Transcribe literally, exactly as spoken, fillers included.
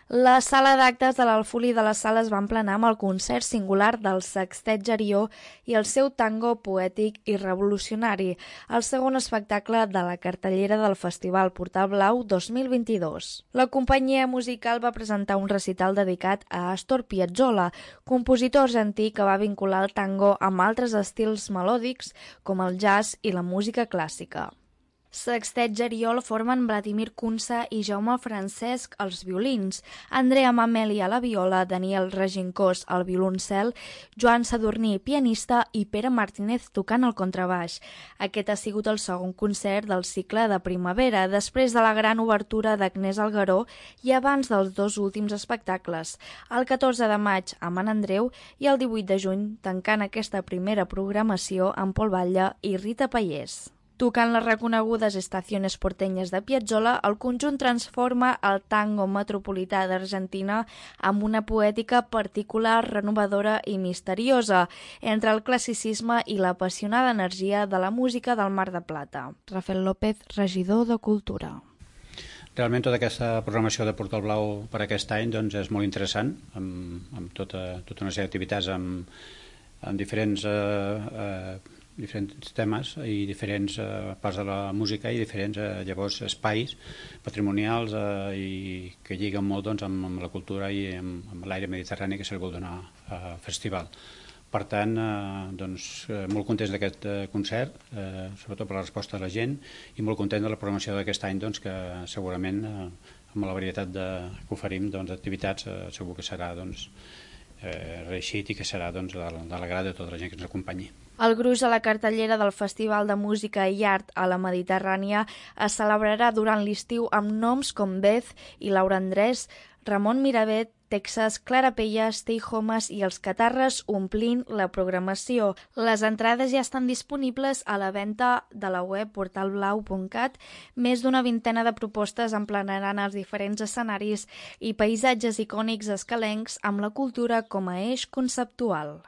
La sala d'actes de l'Alfulí de la Sala es va emplenar amb el concert singular del Sextet Gerió i el seu tango poètic i revolucionari, el segon espectacle de la cartellera del Festival Portal Blau dos mil vint-i-dos. La companyia musical va presentar un recital dedicat a Astor Piazzolla, compositor argentí que va vincular el tango amb altres estils melòdics com el jazz i la música clàssica. Sextet Gerió el formen Vladimir Kunsa i Jaume Francesc als violins, Andrea Mameli a la viola, Daniel Regincós al violoncel, Joan Sadurní pianista i Pere Martínez tocant el contrabaix. Aquest ha sigut el segon concert del cicle de primavera, després de la gran obertura d'Agnès Algueró i abans dels dos últims espectacles, el catorze de maig a Man Andreu i el divuit de juny, tancant aquesta primera programació amb Pol Batlle i Rita Pallés. Tocant les reconegudes Estaciones Porteñas de Piazzolla, el conjunt transforma el tango metropolità d'Argentina amb una poètica particular, renovadora i misteriosa, entre el classicisme i l'apassionada energia de la música del Mar de Plata. Rafael López, regidor de Cultura. Realment tota aquesta programació de Portal Blau per aquest any doncs, és molt interessant, amb, amb tota, tota una sèrie d'activitats amb, amb diferents... Eh, eh, diferents temes i diferents eh, parts de la música i diferents eh, llavors espais patrimonials eh, i que lliguen molt doncs, amb, amb la cultura i amb, amb l'aire mediterrani que se'l vol donar al festival. Per tant, eh, doncs, eh, molt contents d'aquest eh, concert, eh, sobretot per la resposta de la gent, i molt content de la programació d'aquest any, doncs, que segurament eh, amb la varietat de, que oferim d'activitats doncs, eh, segur que serà doncs, eh, reeixit i que serà doncs, de, de l'agrada de tota la gent que ens acompanyi. El gruix a la cartellera del Festival de Música i Art a la Mediterrània es celebrarà durant l'estiu amb noms com Beth i Laura Andrés, Ramon Miravet, Texas, Clara Pella, Stay Homes i els Catarres omplint la programació. Les entrades ja estan disponibles a la venda de la web portal blau punt cat. Més d'una vintena de propostes emplenaran els diferents escenaris i paisatges icònics escalencs amb la cultura com a eix conceptual.